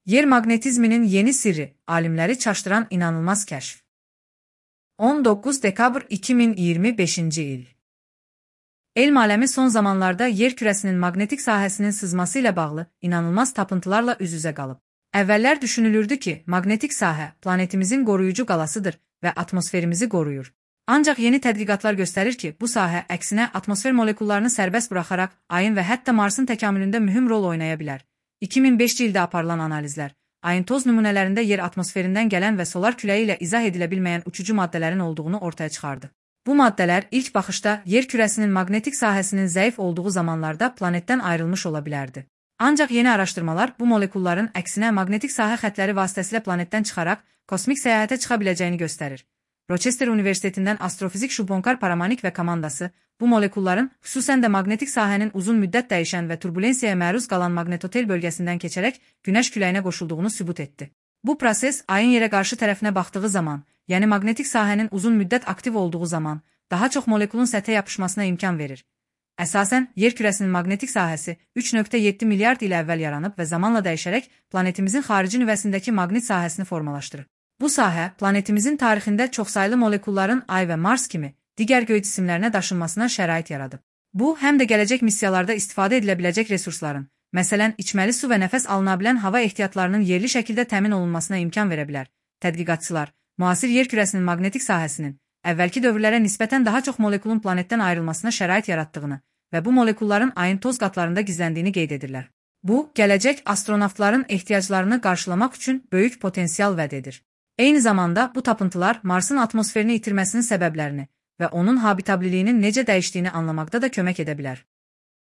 Yer maqnetizminin yeni sirri, alimləri çaşdıran inanılmaz kəşf. 19 dekabr 2025-ci il. Elm aləmi son zamanlarda yer kürəsinin maqnetik sahəsinin sızması ilə bağlı inanılmaz tapıntılarla üz-üzə qalıb. Əvvəllər düşünülürdü ki, maqnetik sahə planetimizin qoruyucu qalasıdır və atmosferimizi qoruyur. Ancaq yeni tədqiqatlar göstərir ki, bu sahə əksinə atmosfer molekullarını sərbəst buraxaraq ayın və hətta Marsın təkamülündə mühüm rol oynaya bilər. 2005-ci ildə aparılan analizlər, ayın toz nümunələrində yer atmosferindən gələn və solar küləyi ilə izah edilə bilməyən uçucu maddələrin olduğunu ortaya çıxardı. Bu maddələr ilk baxışda yer kürəsinin maqnetik sahəsinin zəif olduğu zamanlarda planetdən ayrılmış ola bilərdi. Ancaq yeni araşdırmalar bu molekulların əksinə maqnetik sahə xəttləri vasitəsilə planetdən çıxaraq kosmik səyahətə çıxa biləcəyini göstərir. Rochester Universitetindən astrofizik Şubhonkar Paramanik və komandası bu molekulların, xüsusən də maqnetik sahənin uzun müddət dəyişən və turbulensiyaya məruz qalan maqnetotel bölgəsindən keçərək Günəş küləyinə qoşulduğunu sübut etdi. Bu proses ayın yerə qarşı tərəfinə baxdığı zaman, yəni maqnetik sahənin uzun müddət aktiv olduğu zaman, daha çox molekulun səthə yapışmasına imkan verir. Əsasən, yer kürəsinin maqnetik sahəsi 3,7 milyard il əvvəl yaranıb və zamanla dəyişərək planetimizin xarici nüvəsindəki maqnit sahəsini formalaşdırır. Bu sahə, planetimizin tarixində çoxsaylı molekulların Ay və Mars kimi digər göy cisimlərinə daşınmasına şərait yaradıb. Bu, həm də gələcək missiyalarda istifadə edilə biləcək resursların, məsələn, içməli su və nəfəs alına bilən hava ehtiyatlarının yerli şəkildə təmin olunmasına imkan verə bilər. Tədqiqatçılar, müasir yer kürəsinin maqnetik sahəsinin əvvəlki dövrlərə nisbətən daha çox molekulun planetdən ayrılmasına şərait yaratdığını və bu molekulların ayın toz qatlarında gizləndiyini qeyd edirlər. Bu, gələcək astronavtların ehtiyaclarını qarşılamaq üçün böyük potensial vəd edir. Eyni zamanda bu tapıntılar Marsın atmosferini itirməsinin səbəblərini və onun habitabliliyinin necə dəyişdiyini anlamaqda da kömək edə bilər.